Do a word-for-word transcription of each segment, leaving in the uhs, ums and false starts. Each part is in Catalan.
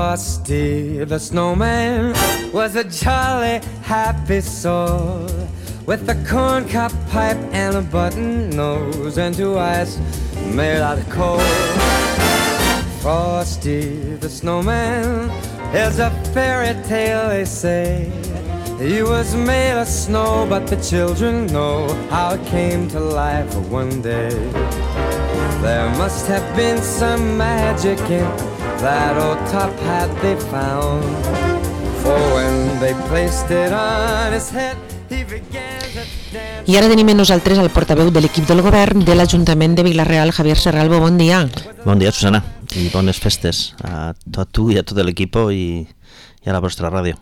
Frosty the snowman was a jolly, happy soul, with a corncob pipe and a button nose and two eyes made out of coal. Frosty the snowman is a fairy tale, they say. He was made of snow, but the children know how it came to life one day. There must have been some magic in that old top hat they found, for when they placed it on his head, he began to dance. I ara tenim amb nosaltres el portaveu de l'equip del govern de l'Ajuntament de Vila-real, Javier Serralbo. Bon dia. Bon dia, Susana, i bones festes a tot tu i a tot l'equip i, i a la vostra ràdio.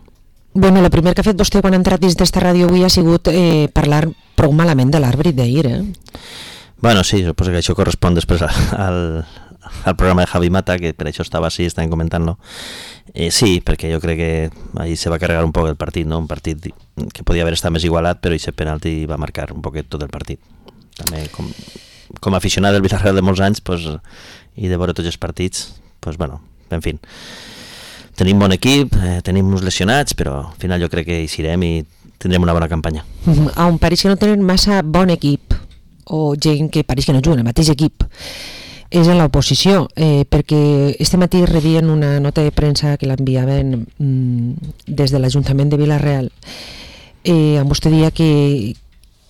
Bueno, el primer que ha fet vostè quan ha entrat dins d'esta ràdio avui ha sigut eh, parlar prou malament de l'àrbitre d'ahir, eh? Bueno, sí, suposo que això correspon després al, al programa de Javi Mata, que per això estava així, estaven comentant-lo. Eh, sí, perquè jo crec que ahí se va carregar un poc el partit, no? Un partit que podia haver estat més igualat, però aquest penalti va marcar un poquet tot el partit. També com, com a aficionat del Villarreal de molts anys, pues, i de veure tots els partits, pues, bueno, en fi. Tenim bon equip, eh, tenim uns lesionats, però al final jo crec que hi serem i tindrem una bona campanya. Mm, on pareix que no tenen massa bon equip, o gent que pareix que no juguen al mateix equip, és en l'oposició, eh, perquè este matí rebien una nota de premsa que l'enviaven mm, des de l'Ajuntament de Vila-real, eh, amb vostè dia que,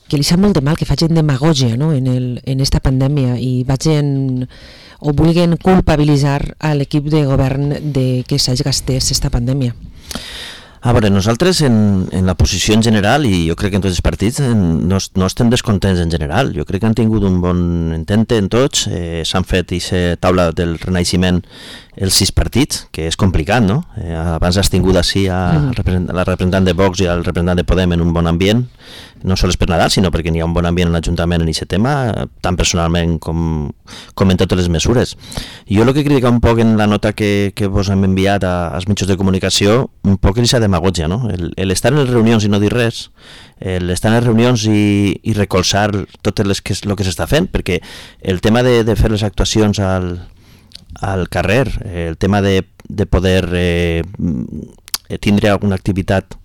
que li sap molt de mal que facin demagògia, no?, en, el, en esta pandèmia i vagin o vulguin culpabilitzar a l'equip de govern de que s'hagi gastés esta pandèmia. A veure, nosaltres en, en la posició en general, i jo crec que en tots els partits, en, no, no estem descontents en general. Jo crec que han tingut un bon intente en tots, eh, s'han fet aquesta taula del renaixement els sis partits, que és complicat, no? Eh, abans has tingut així a, mm. a la representant de Vox i al representant de Podem en un bon ambient, no sols per Nadal, sinó perquè n'hi ha un bon ambient en l'Ajuntament en aquest tema, tant personalment com, com en totes les mesures. Jo el que critico un poc en la nota que, que vos hem enviat a, als mitjans de comunicació, un poc és aquesta demagògia, no? L'estar en les reunions i no dir res, l'estar en les reunions i, i recolzar tot el que, que s'està fent, perquè el tema de, de fer les actuacions al, al carrer, el tema de, de poder eh, tindre alguna activitat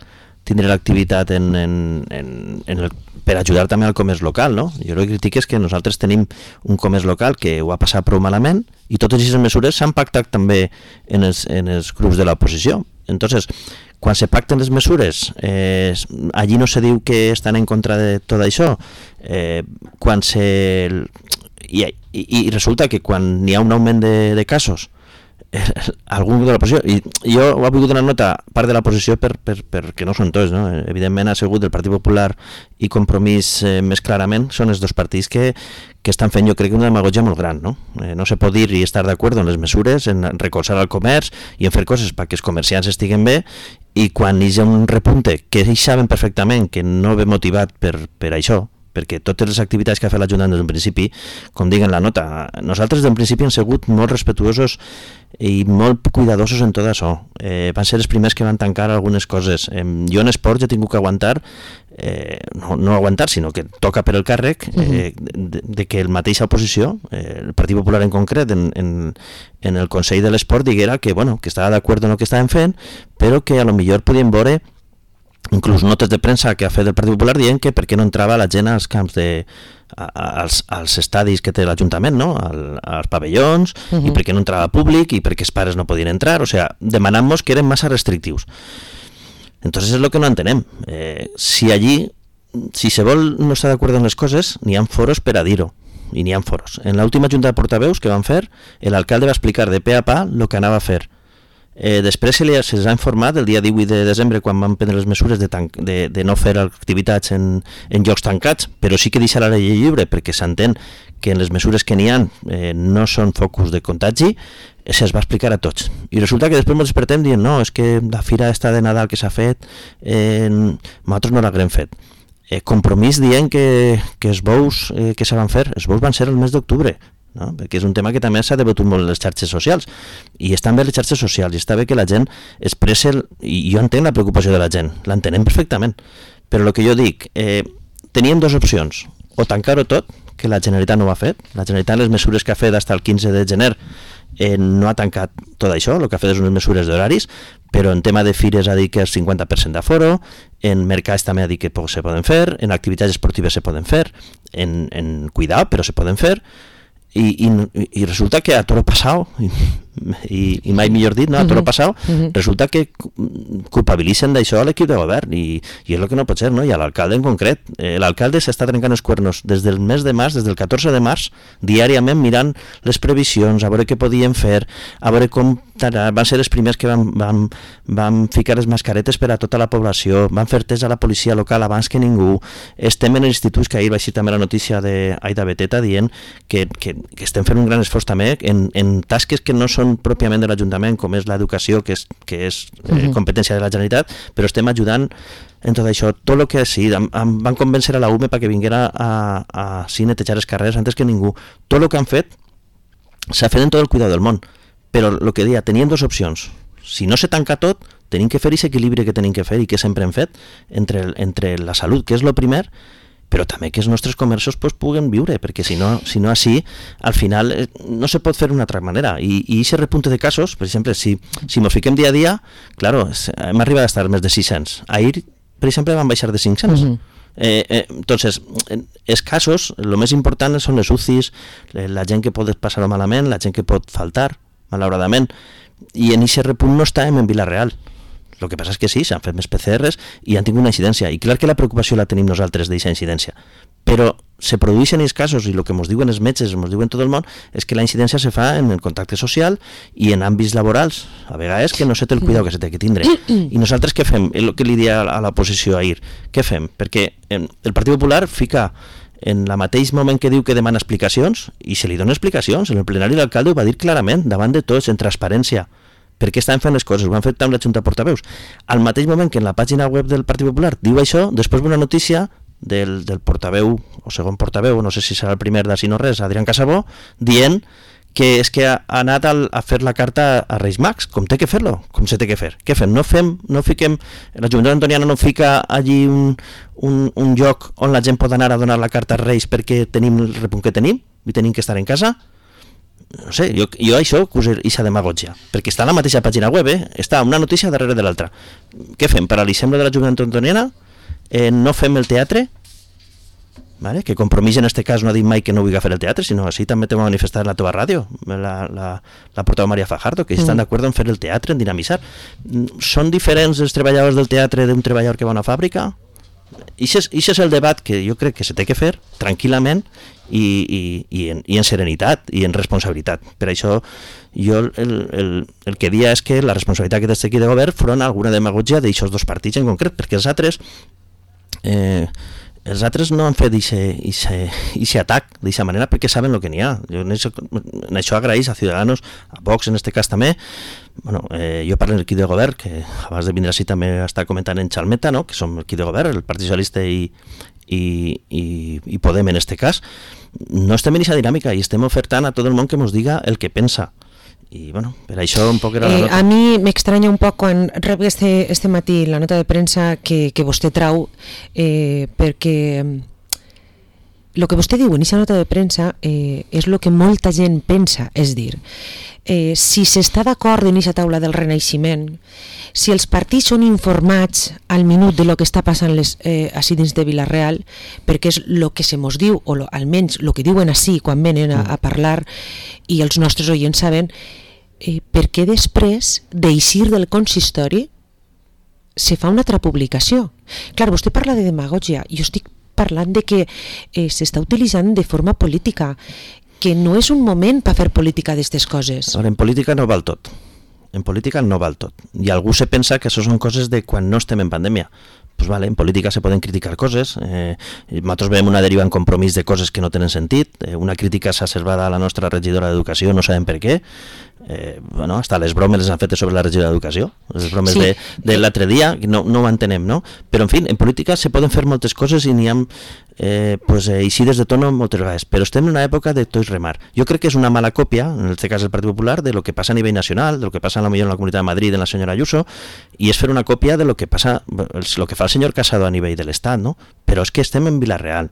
tindre l'activitat en, en, en, en el, per ajudar també al comerç local, no? Jo el que critico és que nosaltres tenim un comerç local que ho ha passat prou malament i totes aquestes mesures s'han pactat també en els, en els grups de l'oposició. Entonces, quan se pacten les mesures, eh, allí no se diu que estan en contra de tot això. Eh, quan se... I, i, i resulta que quan n'hi ha un augment de, de casos, algun grup de l'oposició, i jo ho he volgut donar nota part de l'oposició per, per, perquè no són tots, no? Evidentment ha sigut el Partit Popular i Compromís eh, més clarament, són els dos partits que, que estan fent jo crec una demagogia molt gran, no? Eh, no se pot dir i estar d'acord en les mesures, en recolzar el comerç i en fer coses perquè els comerciants estiguen bé, i quan hi ha un repunte que ells saben perfectament que no ve motivat per, per això, perquè totes les activitats que ha fet l'Ajuntament des d'un principi, com diguen la nota, nosaltres d'un principi hem sigut molt respetuosos i molt cuidadosos en tot això. Eh, van ser els primers que van tancar algunes coses. Eh, jo en esports he tingut que aguantar, eh, no, no aguantar, sinó que toca per el càrrec eh, de, de que el mateixa oposició, eh, el Partit Popular en concret, en, en, en el Consell de l'Esport, diguera que, bueno, que estava d'acord en el que estaven fent, però que a lo millor podien veure inclús notes de premsa que ha fet el Partit Popular dient que per què no entrava la gent als camps de, als, als estadis que té l'Ajuntament, no? Al, als pavellons, uh -huh. i per què no entrava públic i per què els pares no podien entrar, o sea, demanant-nos que eren massa restrictius. Entonces és el que no entenem. Eh, si allí, si se vol no estar d'acord en les coses, n'hi ha foros per a dir-ho, i n'hi ha foros. En l'última junta de portaveus que van fer, l'alcalde va explicar de pe a pa el que anava a fer. Eh, després se les ha informat el dia divuit de desembre quan van prendre les mesures de, tan, de, de no fer activitats en, en llocs tancats, però sí que deixar la llei lliure perquè s'entén que en les mesures que n'hi ha eh, no són focus de contagi, eh, se'ls va explicar a tots. I resulta que després ens despertem dient no, és que la fira esta de Nadal que s'ha fet, eh, nosaltres no l'haguem fet. Eh, compromís dient que, que els bous eh, que se van fer, els bous van ser el mes d'octubre, no? Perquè és un tema que també s'ha debatut molt en les xarxes socials i estan bé les xarxes socials i està bé que la gent expressi el... i jo entenc la preocupació de la gent, l'entenem perfectament, però el que jo dic, eh, teníem dues opcions, o tancar-ho tot, que la Generalitat no ho ha fet, la Generalitat les mesures que ha fet fins al quinze de gener eh, no ha tancat tot això, el que ha fet és unes mesures d'horaris, però en tema de fires ha dit que és cinquanta per cent d'aforo, en mercats també ha dit que se poden fer, en activitats esportives se poden fer, en, en cuidar, però se poden fer, i, i, i resulta que a toro passau, i, i mai millor dit, no? A toro passau, uh-huh. resulta que culpabilitzen d'això a l'equip de govern, i, i és el que no pot ser, no? I a l'alcalde en concret. Eh, l'alcalde s'està trencant els cuernos des del mes de març, des del catorze de març, diàriament mirant les previsions, a veure què podien fer, a veure com van ser els primers que van, van, van ficar les mascaretes per a tota la població, van fer test a la policia local abans que ningú, estem en instituts, que ahir va ser també la notícia d'Aida Beteta dient que, que, que estem fent un gran esforç també en, en tasques que no són pròpiament de l'Ajuntament, com és l'educació, que és, que és eh, competència de la Generalitat, però estem ajudant en tot això, tot el que sí, em, em van convèncer a la U M E perquè vinguera a, a, a sí, netejar els carrers antes que ningú. Tot el que han fet s'ha fet en tot el cuidado del món, però el que deia, tenien dues opcions. Si no se tanca tot, tenim que fer aquest equilibri que tenim que fer i que sempre hem fet entre, entre la salut, que és el primer, però també que els nostres comerços pues, puguen viure, perquè si no, si no així, al final eh, no se pot fer d'una altra manera. I aquest repunte de casos, per exemple, si, si mos fiquem dia a dia, claro, hem arribat a estar més de sis-cents. Ahir, per exemple, van baixar de cinc-cents. Uh-huh. Eh, eh, entonces, els casos, el més important són les U C Is, la gent que pot passar-ho malament, la gent que pot faltar, malauradament, i en aquest repunt no estàvem en Vila-real. El que passa és que sí, s'han fet més P C Rs i han tingut una incidència, i clar que la preocupació la tenim nosaltres d'aquesta incidència, però se produeixen els casos, i el que ens diuen els metges, ens diuen tot el món, és que la incidència se fa en el contacte social i en àmbits laborals, a vegades que no se té el cuidado que se té que tindre. I nosaltres què fem? És el que li dia a l'oposició ahir. Què fem? Perquè el Partit Popular fica en el mateix moment que diu que demana explicacions, i se li dona explicacions. En el plenari l'alcalde ho va dir clarament, davant de tots, en transparència, perquè estan fent les coses, ho han fet amb la Junta de Portaveus. Al mateix moment que en la pàgina web del Partit Popular diu això, després ve una notícia del, del portaveu, o segon portaveu, no sé si serà el primer d'ací no res, Adrián Casabó, dient que és que ha anat al, a fer la carta a Reis Mags, com té que fer-lo, com se té que fer. Què fem? No fem, no fiquem, la Junta Antoniana no fica allí un, un, un lloc on la gent pot anar a donar la carta als Reis perquè tenim el repunt que tenim i tenim que estar en casa? No sé, jo, jo això acuso aquesta demagogia, perquè està a la mateixa pàgina web, eh? Està una notícia darrere de l'altra. Què fem? Paralitzem de la Junta Antoniana? Eh, no fem el teatre? Vale? Que Compromís en este cas no ha dit mai que no vulgui fer el teatre, sinó així també t'ho va manifestar en la teva ràdio, la, la, la portaveu Maria Fajardo, que mm. estan d'acord en fer el teatre, en dinamitzar. Són diferents els treballadors del teatre d'un treballador que va a una fàbrica? I això és el debat que jo crec que se té que fer tranquil·lament i, i, i, en, i en serenitat i en responsabilitat. Per això jo el, el, el que dia és que la responsabilitat que té aquí de govern front a alguna demagogia d'aixòs dos partits en concret, perquè els altres eh, els altres no han fet aquest atac d'aquesta manera perquè saben el que n'hi ha. Jo en això, en això agraeix a Ciudadanos, a Vox en este cas també. Bueno, eh, jo parlo d'equip de govern, que abans de vindre així també està comentant en Xalmeta, no? Que som l'equip de govern, el Partit Socialista i, i, i, i Podem en este cas. No estem en aquesta dinàmica i estem ofertant a tot el món que ens diga el que pensa. I bueno, per això un poc era la nota. Eh, a mi m'extranya un poc quan rep este, este matí la nota de premsa que, que vostè trau, eh, perquè el que vostè diu en aquesta nota de premsa eh, és el que molta gent pensa, és dir, eh, si s'està d'acord en aquesta taula del renaixement, si els partits són informats al minut de lo que està passant les, eh, així dins de Vila-real, perquè és el que se mos diu, o lo, almenys el que diuen així quan venen a, a parlar i els nostres oients saben, eh, per què després d'eixir del consistori se fa una altra publicació? Clar, vostè parla de demagogia, jo estic parlant de que eh, s'està utilitzant de forma política, que no és un moment per fer política d'aquestes coses. Ara, en política no val tot. En política no val tot. I algú se pensa que això són coses de quan no estem en pandèmia. Pues vale, en política se poden criticar coses, eh, nosaltres veiem una deriva en Compromís de coses que no tenen sentit, eh, una crítica exacerbada a la nostra regidora d'Educació, no sabem per què, eh, bueno, hasta les bromes les han fet sobre la regidora d'Educació, les bromes sí. de, de l'altre dia, no, no ho entenem, no? Però en fi, en política se poden fer moltes coses i n'hi ha eh, pues, eixides de tono moltes vegades, però estem en una època de tot remar. Jo crec que és una mala còpia, en aquest cas del Partit Popular, de lo que passa a nivell nacional, de lo que passa a la millor en la Comunitat de Madrid, en la senyora Ayuso, i és fer una còpia de lo que passa, lo que fa el senyor Casado a nivell de l'Estat, no? Però és que estem en Vila-real.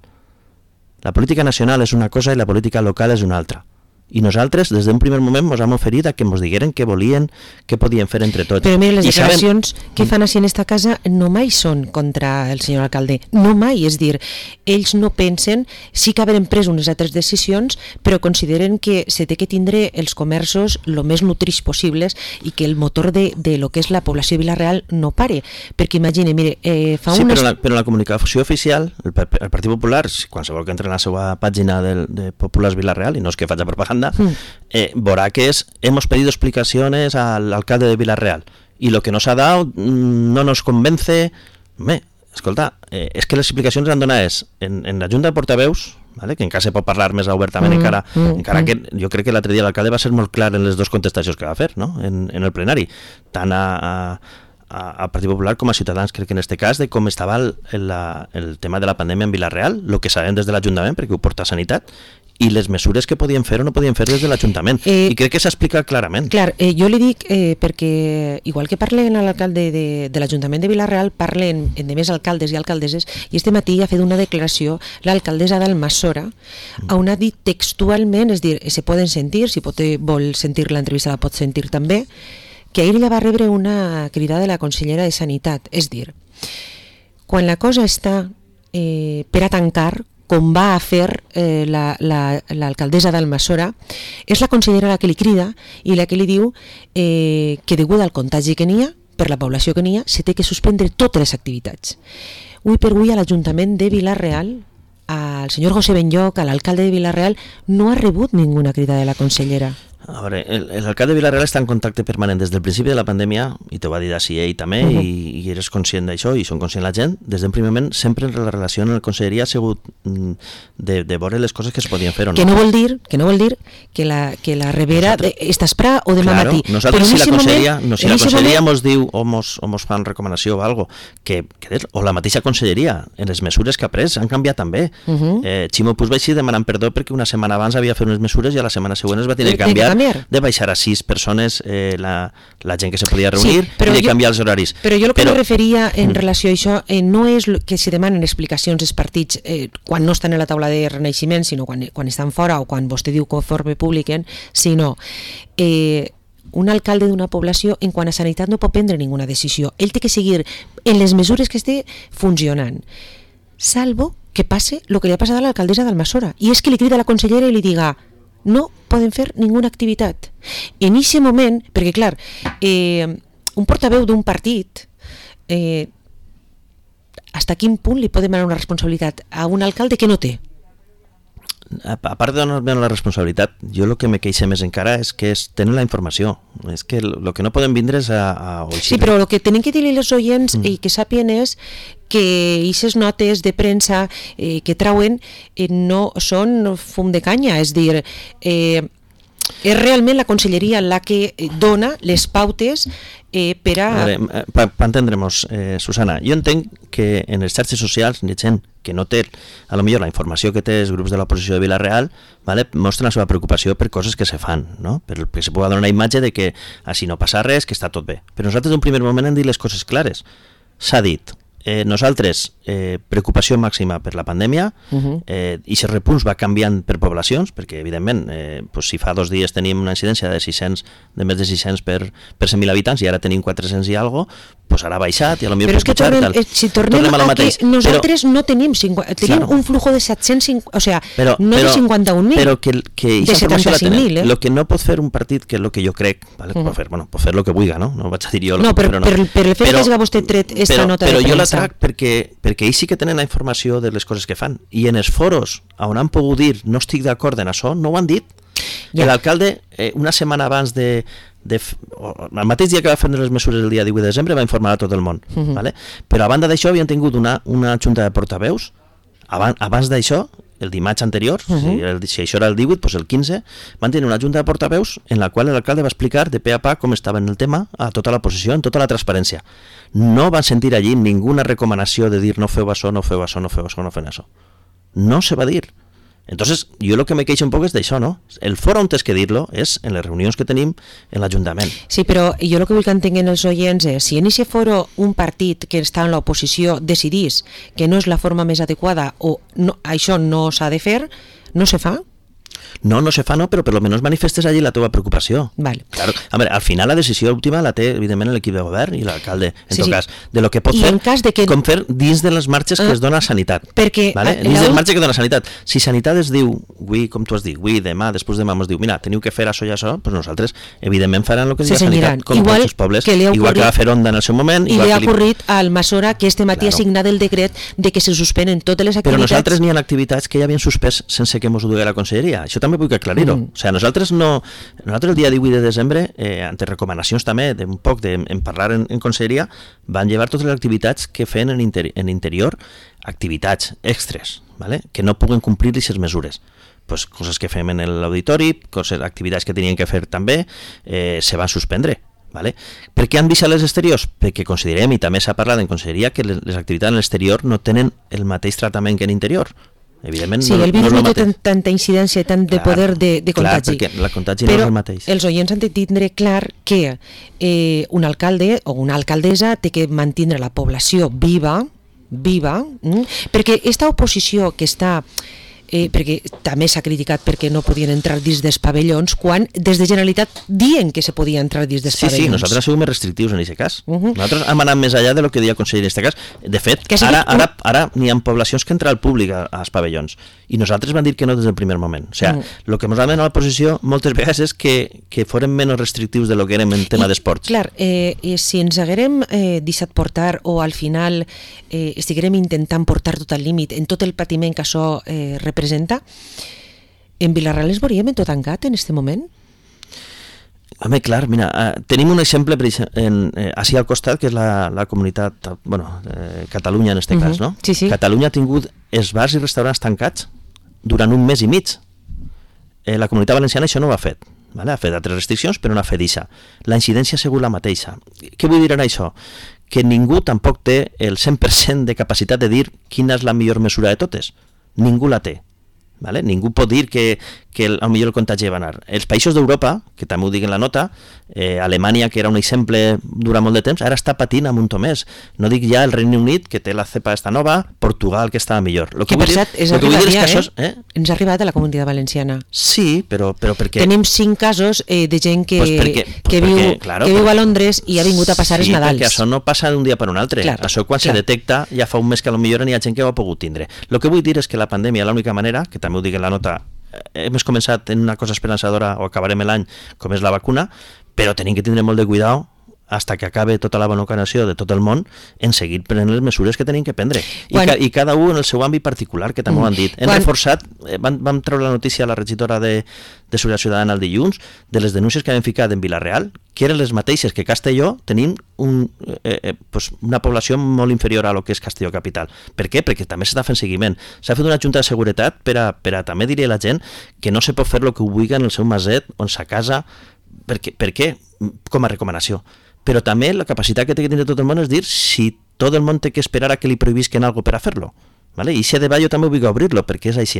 La política nacional és una cosa i la política local és una altra. i nosaltres des d'un primer moment ens hem oferit a que ens digueren què volien, què podien fer entre tots. Però mira, les I declaracions saben... que fan així en esta casa no mai són contra el senyor alcalde, no mai, és dir, ells no pensen, sí que haver pres unes altres decisions, però consideren que se té que tindre els comerços el més nutrits possibles i que el motor de, de lo que és la població de Vila-real no pare, perquè imagine, mire, eh, fa sí, unes... però, la, però la comunicació oficial, el, el Partit Popular, qualsevol que entre en la seva pàgina de, de Populars Vila-real, i no és que faig propaganda, mm. eh, veurà que es hemos pedido explicaciones al alcalde de Vila-real y lo que nos ha dado mmm, no nos convence. Bé, escolta, eh, és que les explicacions han donat és en, en la Junta de Portaveus, vale? Que encara se pot parlar més obertament, mm, encara, mm, encara mm. que jo crec que l'altre dia l'alcalde va ser molt clar en les dues contestacions que va fer, no? en, en el plenari, tant a, a, al Partit Popular com a Ciutadans, crec que en aquest cas, de com estava el, el, el tema de la pandèmia en Vila-real, el que sabem des de l'Ajuntament, perquè ho porta Sanitat, i les mesures que podien fer o no podien fer des de l'Ajuntament. Eh, I crec que s'explica clarament. Clar, eh, jo li dic eh, perquè, igual que parlen a l'alcalde de, de l'Ajuntament de Vila-real, parlen de més alcaldes i alcaldesses, i este matí ha fet una declaració l'alcaldessa d'Almassora, mm. on ha dit textualment, és dir, se poden sentir, si pot, vol sentir l'entrevista la pot sentir també, que ahir ella va rebre una crida de la consellera de Sanitat, és dir, quan la cosa està eh, per a tancar, com va a fer eh, l'alcaldessa la, la, d'Almassora, és la consellera la que li crida i la que li diu eh, que degut al contagi que n'hi ha, per la població que n'hi ha, se té que suspendre totes les activitats. Avui per avui a l'Ajuntament de Vila-real, al senyor José Benlloc, a l'alcalde de Vila-real, no ha rebut ninguna crida de la consellera. A veure, l'alcalde de Vila-real està en contacte permanent des del principi de la pandèmia, i t'ho va dir així ell també, uh -huh. i, i eres conscient d'això, i són conscient la gent, des d'un primer moment sempre la relació en la conselleria ha sigut de, de veure les coses que es podien fer o no. Que no vol dir que, no vol dir que, la, que la rebera nosaltres, de, esta esprà o demà claro, matí. Nosaltres si la conselleria, moment, no, si la conselleria moment... mos diu o mos, o mos fan recomanació o algo, que, que, o la mateixa conselleria, en les mesures que ha pres, han canviat també. Uh -huh. eh, Ximo Puig va així demanant perdó perquè una setmana abans havia fet unes mesures i a la setmana següent es va tenir que canviar, canviar. de baixar a sis persones eh, la, la gent que se podia reunir sí, i de canviar els horaris. Però jo el que però... me referia en relació a això eh, no és que se demanen explicacions als partits eh, quan no estan a la taula de renaixement, sinó quan, quan estan fora o quan vostè diu conforme publiquen, sinó eh, un alcalde d'una població en quant a sanitat no pot prendre ninguna decisió. Ell té que seguir en les mesures que esté funcionant, salvo que passe el que li ha passat a l'alcaldessa d'Almassora, i és que li crida a la consellera i li diga no poden fer ninguna activitat. En aquest moment, perquè clar, eh, un portaveu d'un partit, eh, hasta quin punt li pot demanar una responsabilitat a un alcalde que no té? A, a part de donar la responsabilitat, jo el que me queixa més encara és que es tenen la informació. És que el que no podem vindre és a... a sí, però el que tenen que dir-li els oients mm. i que sàpien és que aquestes notes de premsa eh, que trauen eh, no són fum de canya, és dir, eh, és realment la conselleria la que dona les pautes eh, per a... a per pa entendre-nos, eh, Susana, jo entenc que en les xarxes socials hi ha gent que no té, a lo millor la informació que té els grups de l'oposició de Vila-real, vale, mostren la seva preocupació per coses que se fan, no? perquè se pugui donar una imatge de que així no passa res, que està tot bé. Però nosaltres d'un primer moment hem dit les coses clares. S'ha dit, eh, nosaltres, eh, preocupació màxima per la pandèmia, uh-huh. eh, i aquest repunts va canviant per poblacions, perquè evidentment, eh, pues, si fa dos dies tenim una incidència de sis-cents, de més de sis-cents per, per cent mil habitants, i ara tenim quatre-cents i algo, pues ara ha baixat i a lo millor però és que pujar, tornem, tal. si tornem, tornem a, a que nosaltres però, no tenim cinquanta, tenim claro. un flujo de set-cents cinquanta, o sea, però, no però, de cinquanta-un mil, però que, que de setanta-cinc mil, eh? Lo que no pot fer un partit, que és el que jo crec, vale, uh-huh. pot fer, bueno, pot fer el que vulgui, no? No vaig a dir jo... No, per, però no. per, per el fet però, que has vostè tret esta però, nota però de premsa. Però jo la trac perquè, perquè ells sí que tenen la informació de les coses que fan, i en els foros on han pogut dir no estic d'acord en això, no ho han dit. Ja. L'alcalde, eh, una setmana abans de, de... el mateix dia que va fer les mesures el dia divuit de desembre va informar a tot el món, uh-huh. vale? Però a banda d'això havien tingut una, una junta de portaveus, abans, abans d'això, el dimarts anterior, uh-huh. si, el, si això era el divuit, doncs el quinze, van tenir una junta de portaveus en la qual l'alcalde va explicar de pe a pa com estava en el tema a tota la posició, en tota la transparència. No van sentir allí ninguna recomanació de dir no feu això, no feu això, no feu això, no feu això. No se va dir. Entonces, jo el que me queixo un poc és d'això, no? El foro on tens que dir-lo és en les reunions que tenim en l'Ajuntament. Sí, però jo el que vull que entenguin els oients és, si en aquest foro un partit que està en l'oposició decidís que no és la forma més adequada o no, això no s'ha de fer, no se fa? No, no se fa, no, però per lo menos manifestes allí la teva preocupació. Vale. Claro. A veure, al final la decisió última la té, evidentment, l'equip de govern i l'alcalde, en sí, tot sí. cas, de lo que pot I fer, en cas de que... com fer dins de les marxes que ah, es dona a Sanitat. Perquè... Vale? A, Dins la... del marge que dona Sanitat. Si Sanitat es diu, avui, com tu has dit, avui, demà, després demà ens diu, mira, teniu que fer això i això, doncs nosaltres, evidentment, faran el que diu Sanitat, com igual tots els pobles, que igual ocorrit, que va fer Onda en el seu moment. I igual li ha que ocorrit li... al Masora que este matí claro. ha signat el decret de que se suspenen totes les activitats. Però nosaltres n'hi ha activitats que ja havien suspès sense que ens ho digui la conselleria. Això també vull aclarir-ho. Mm. O sigui, nosaltres no... Nosaltres el dia divuit de desembre, eh, ante recomanacions també d'un poc de, en parlar en, en conselleria, van llevar totes les activitats que feien en, interi en interior, activitats extres, ¿vale? Que no puguen complir aquestes mesures. Pues coses que fem en l'auditori, coses, activitats que tenien que fer també, eh, se van suspendre. Vale? Per què han deixat les exteriors? Perquè considerem, i també s'ha parlat en conselleria, que les, les activitats en l'exterior no tenen el mateix tractament que en interior. Evidentment, sí, no, el virus no, no, no té tanta incidència i tant de clar, poder de, de contagi. Clar, perquè la contagi però no és el mateix. Els oients han de tindre clar que eh, un alcalde o una alcaldessa té que mantenir la població viva, viva, mm? perquè aquesta oposició que està... Eh, perquè també s'ha criticat perquè no podien entrar dins dels pavellons quan des de Generalitat diuen que se podia entrar dins dels sí, pavellons. Sí, nosaltres som més restrictius en aquest cas. Uh -huh. Nosaltres hem anat més allà de lo que deia el conseller en aquest cas. De fet, que ara, ara, ara n'hi ha poblacions que entra al públic als pavellons i nosaltres vam dir que no des del primer moment. O sigui, el uh -huh. que ens va demanar la posició moltes vegades és que, que foren menys restrictius de lo que érem en tema d'esports. Clar, eh, si ens haguérem eh, deixat portar o al final eh, estiguérem intentant portar tot al límit en tot el patiment que això eh, representa, en Vila-real es veuríem en tot tancat en aquest moment? Home, clar, mira, uh, tenim un exemple en, eh, així al costat, que és la, la comunitat, bueno, eh, Catalunya en aquest uh -huh. cas, no? Sí, sí. Catalunya ha tingut els bars i restaurants tancats durant un mes i mig. Eh, la comunitat valenciana això no ho ha fet. Vale? Ha fet altres restriccions, però no ha fet això. La incidència ha sigut la mateixa. Què vull dir en això? Que ningú tampoc té el cent per cent de capacitat de dir quina és la millor mesura de totes. Ningú la té. Vale? Ningú pot dir que, que el, millor el contagi va anar. Els països d'Europa, que també ho dic en la nota, eh, Alemanya, que era un exemple durant molt de temps, ara està patint amb un tomés. No dic ja el Regne Unit, que té la cepa esta nova, Portugal, que estava millor. Lo que, que per cert, és arribat ja, és eh? eh? Ens ha arribat a la Comunitat Valenciana. Sí, però, però perquè... Tenim cinc casos eh, de gent que, pues perquè, pues que, viu, perquè, claro, que viu a Londres i ha vingut a passar sí, els Nadals. Sí, perquè això no passa d'un dia per un altre. Clar, això quan clar. se detecta, ja fa un mes que potser n'hi ha gent que ho ha pogut tindre. El que vull dir és que la pandèmia, l'única manera, que també ho dic en la nota, hem començat en una cosa esperançadora o acabarem l'any com és la vacuna, però tenim que tindre molt de cuidado hasta que acabe tota la vacunació de tot el món en seguir prenent les mesures que tenim que prendre. I, quan... ca, i cada un en el seu àmbit particular, que també mm. ho han dit. Hem quan... reforçat, vam, vam treure la notícia a la regidora de, de Seguretat Ciutadana el dilluns de les denúncies que havien ficat en Vila-real, que eren les mateixes que Castelló, tenim un, eh, eh, pues una població molt inferior a lo que és Castelló capital. Per què? Perquè també s'està fent seguiment. S'ha fet una junta de seguretat per a, per a també dir a la gent que no se pot fer el que ho vulgui en el seu maset o en sa casa. Per què? Per què? Com a recomanació. Però també la capacitat que té que tindre tot el món és dir si tot el món té que esperar a que li prohibisquen alguna cosa per a fer-lo. Vale? I aquest debat jo també vull obrir-lo, perquè és així.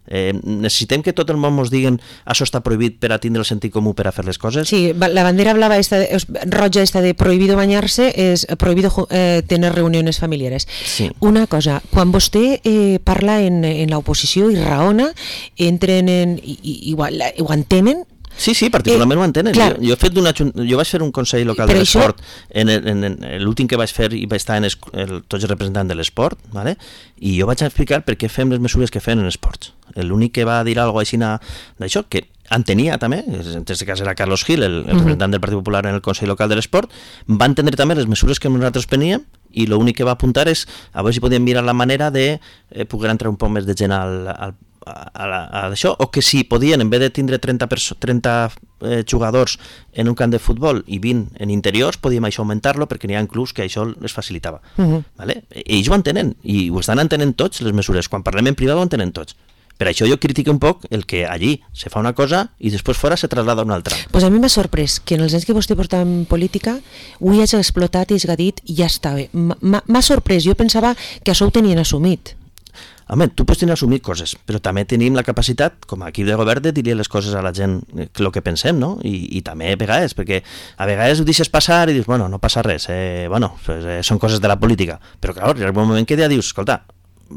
Eh, necessitem que tot el món ens diguin això està prohibit per a tindre el sentit comú per a fer les coses. Sí, la bandera blava esta de, roja esta de prohibido bañarse és prohibido eh, tener reuniones familiares. Sí. Una cosa, quan vostè eh, parla en, en l'oposició i raona, entren en... I, i, igual, ho entenen? Sí, sí, particularment eh, ho entenen. Jo, jo, he fet una, jo vaig fer un consell local de l'esport, això... en, en, en l'últim que vaig fer i vaig estar en es, el, tots els representants de l'esport, ¿vale? I jo vaig explicar per què fem les mesures que fem en esports. L'únic que va dir alguna cosa d'això, que entenia també, en aquest cas era Carlos Gil, el, el representant del Partit Popular en el Consell Local de l'Esport, va entendre també les mesures que nosaltres preníem i l'únic que va apuntar és a veure si podíem mirar la manera de eh, poder entrar un poc més de gent al, al a, la, a això, o que si podien, en vez de tindre trenta, trenta eh, jugadors en un camp de futbol i vint en interiors, podíem això augmentar-lo perquè n'hi ha clubs que això es facilitava. Uh-huh. Vale? Ells ho entenen, i ho estan entenent tots les mesures. Quan parlem en privat ho entenen tots. Per això jo critico un poc el que allí se fa una cosa i després fora se traslada a una altra. Pues a mi m'ha sorprès que en els anys que vostè porta en política ho hi hagi explotat i hagi dit i ja està bé. M'ha sorprès, jo pensava que això ho tenien assumit. Home, tu pots tenir assumit coses, però també tenim la capacitat, com a equip de govern, de dir les coses a la gent el que pensem, no? I, i també a vegades, perquè a vegades ho deixes passar i dius, bueno, no passa res, eh, bueno, pues, eh, són coses de la política, però clar, hi ha un moment que ja dius, escolta,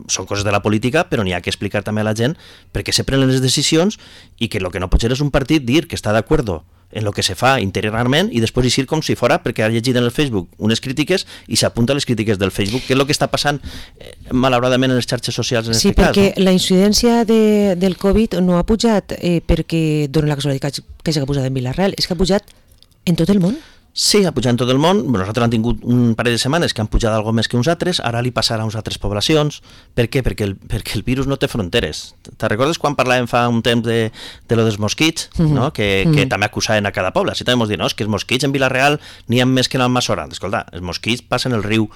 són coses de la política, però n'hi ha que explicar també a la gent perquè se prenen les decisions i que el que no pot ser és un partit dir que està d'acord en el que se fa interiorment i després eixir com si fora perquè ha llegit en el Facebook unes crítiques i s'apunta a les crítiques del Facebook, que és el que està passant eh, malauradament en les xarxes socials en sí, aquest cas. Sí, perquè no? La incidència de, del Covid no ha pujat eh, perquè dona la casualitat que hagi pujat en Vila-real, és que ha pujat en tot el món. Sí, ha pujat en tot el món. Nosaltres hem tingut un parell de setmanes que han pujat algo més que uns altres, ara li passarà a uns altres poblacions. Per què? Perquè el, perquè el virus no té fronteres. Te recordes quan parlàvem fa un temps de, de lo dels mosquits, mm -hmm. no? que, que mm -hmm. també acusaven a cada poble? Si també ens diuen, no, és que els mosquits en Vila-real n'hi ha més que en Almassora. Escolta, els mosquits passen el riu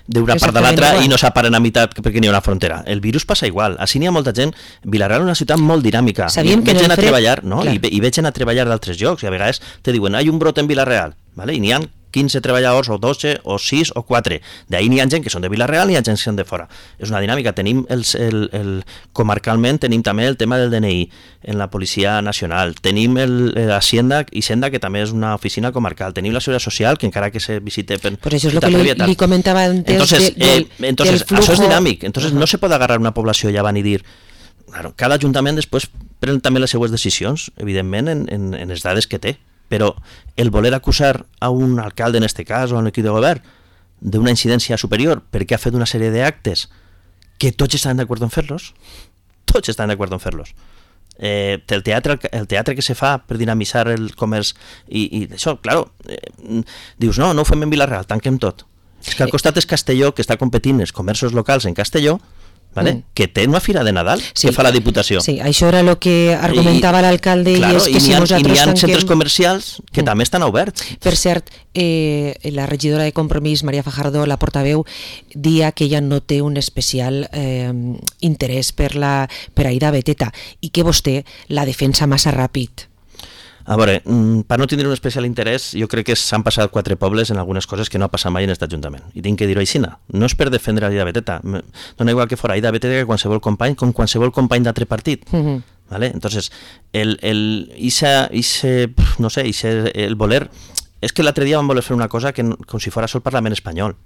d'una part de l'altra i no s'aparen a meitat perquè n'hi ha una frontera. El virus passa igual. Així n'hi ha molta gent. Vila-real és una ciutat molt dinàmica. Sabíem veig gent a fred... treballar, no? I, I veig gent a treballar d'altres llocs i a vegades te diuen, hi ha un brot en Vila-real. Vale? I n'hi ha quinze treballadors, o dotze, o sis, o quatre. D'ahir n'hi ha gent que són de Vila-real i n'hi ha gent que són de fora. És una dinàmica. Tenim el, el, el, comarcalment tenim també el tema del D N I en la Policia Nacional. Tenim l'Hacienda i Senda, que també és una oficina comarcal. Tenim la Seguretat Social, que encara que se visite... Per, pues això és el que li, li comentava antes entonces, de, del, eh, entonces, del flujo. Això és dinàmic. Entonces, uh-huh. no se pot agarrar una població i van i dir... Claro, cada ajuntament després pren també les seues decisions, evidentment, en, en, en les dades que té. Però el voler acusar a un alcalde, en este cas, o a un equip de govern, d'una incidència superior perquè ha fet una sèrie d'actes que tots estan d'acord en fer-los, tots estan d'acord en fer-los. Eh, el, teatre, el teatre que se fa per dinamitzar el comerç i, i això, claro, eh, dius, no, no ho fem en Vila-real, tanquem tot. És que al costat és Castelló, que està competint els comerços locals en Castelló, ¿vale? Mm. que té una fira de Nadal sí, que fa la Diputació. Sí, això era el que argumentava l'alcalde i, claro, és que i si ha, nosaltres i n'hi ha tanquem... centres comercials que mm. també estan oberts. Per cert, eh, la regidora de Compromís, Maria Fajardo, la portaveu, dia que ella no té un especial eh, interès per, la, per Aida Beteta i que vostè la defensa massa ràpid. A veure, per no tindre un especial interès, jo crec que s'han passat quatre pobles en algunes coses que no ha passat mai en aquest Ajuntament. I tinc que dir-ho així. No és per defendre Aida Beteta. Dona igual que fora Aida Beteta que qualsevol company, com qualsevol company d'altre partit. Uh-huh. ¿Vale? Entonces, el, el, ise, ise, no sé, ise, el voler... És que l'altre dia vam voler fer una cosa que, com si fos el Parlament espanyol.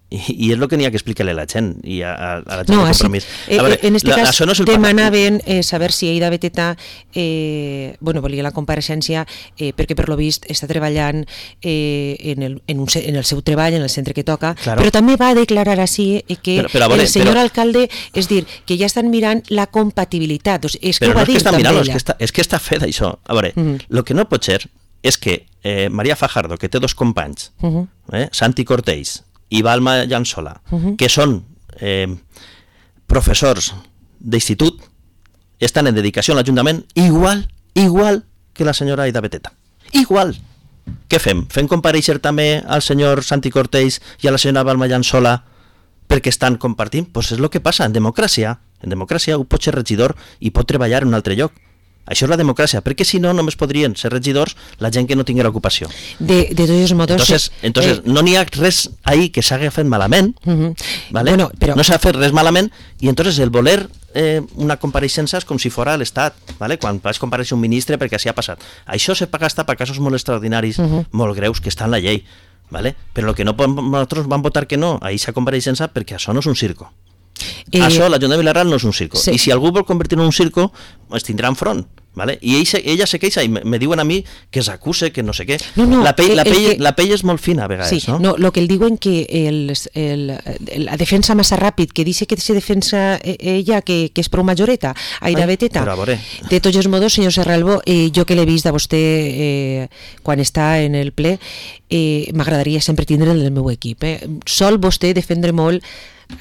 I, i és el que n'hi ha que explicar-li a la gent i a, a la gent no, de Compromís. Eh, veure, en este la, cas no demanaven eh, saber si Aida Beteta eh, bueno, volia la compareixença eh, perquè per lo vist està treballant eh, en, el, en, un, en el seu treball, en el centre que toca, claro. però també va declarar així eh, que però, però, veure, el senyor però, alcalde, és dir, que ja estan mirant la compatibilitat, o sigui, és que però ho va no dir és que també mirant, ella. És que, està, és que està fet això. A veure, el uh-huh. que no pot ser és que eh, Maria Fajardo, que té dos companys, uh-huh. eh, Santi Cortells i Balma Llançola, uh-huh. que són eh, professors d'institut, estan en dedicació a l'Ajuntament igual, igual que la senyora Aida Beteta. Igual. Què fem? Fem compareixer també al senyor Santi Cortells i a la senyora Balma Llançola perquè estan compartint? Doncs pues és el que passa en democràcia. En democràcia un pot ser regidor i pot treballar en un altre lloc. Això és la democràcia, perquè si no només podrien ser regidors la gent que no tinguera ocupació. De, de tots els motos... Entonces, entonces eh, no n'hi ha res ahí que s'hagi fet malament, uh-huh. ¿vale? Bueno, però... no s'ha fet res malament, i entonces el voler eh, una compareixença és com si fora l'Estat, ¿vale? Quan vas compareixer un ministre perquè així ha passat. Això se paga hasta per casos molt extraordinaris, uh-huh. molt greus, que està en la llei, ¿vale? Però el que no nosaltres vam votar que no a aquesta compareixença perquè això no és un circo. Eh, això, l'Ajuntament de Vila-real no és un circo. Sí. I si algú vol convertir en un circo, es tindrà enfront. ¿Vale? I ella, ella se queixa i me, me diuen a mi que s'acuse, que no sé què. No, no, la, pell, la, pell, que... la pell és molt fina a vegades, sí, no? No, lo que el diuen que el, el, la defensa massa ràpid, que dice que se defensa ella, que, que és prou majoreta, Aida Ai, Beteta. De tots els modos, senyor Serralbo, eh, jo que l'he vist a vostè eh, quan està en el ple, eh, m'agradaria sempre tindre el meu equip. Eh. Sol vostè defendre molt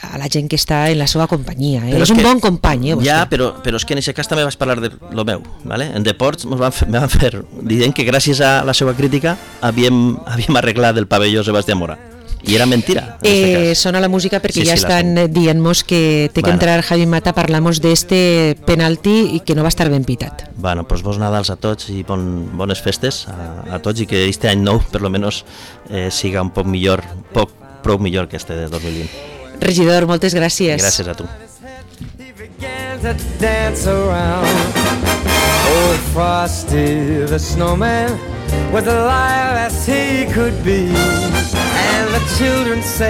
a la gent que està en la seva companyia, eh? És un que, bon company, eh, vostè. Ja, però, però és que en aquest cas també vaig parlar de lo meu, ¿vale? En Deports ens van fer, van fer dient que gràcies a la seva crítica havíem, havíem arreglat el pavelló Sebastián Mora. I era mentira. Eh, sona la música perquè sí, ja sí, estan dient-nos que té que bueno. entrar Javi Mata, parlamos d'este penalti i que no va estar ben pitat. Bueno, pues bons Nadals a tots i bon, bones festes a, a tots i que este any nou, per lo menos, eh, siga un poc millor, poc, prou millor que este de dos mil vint. Regidor, moltes gràcies. Gràcies a tu. Old Frosty the snowman was alive as he could be, and the children say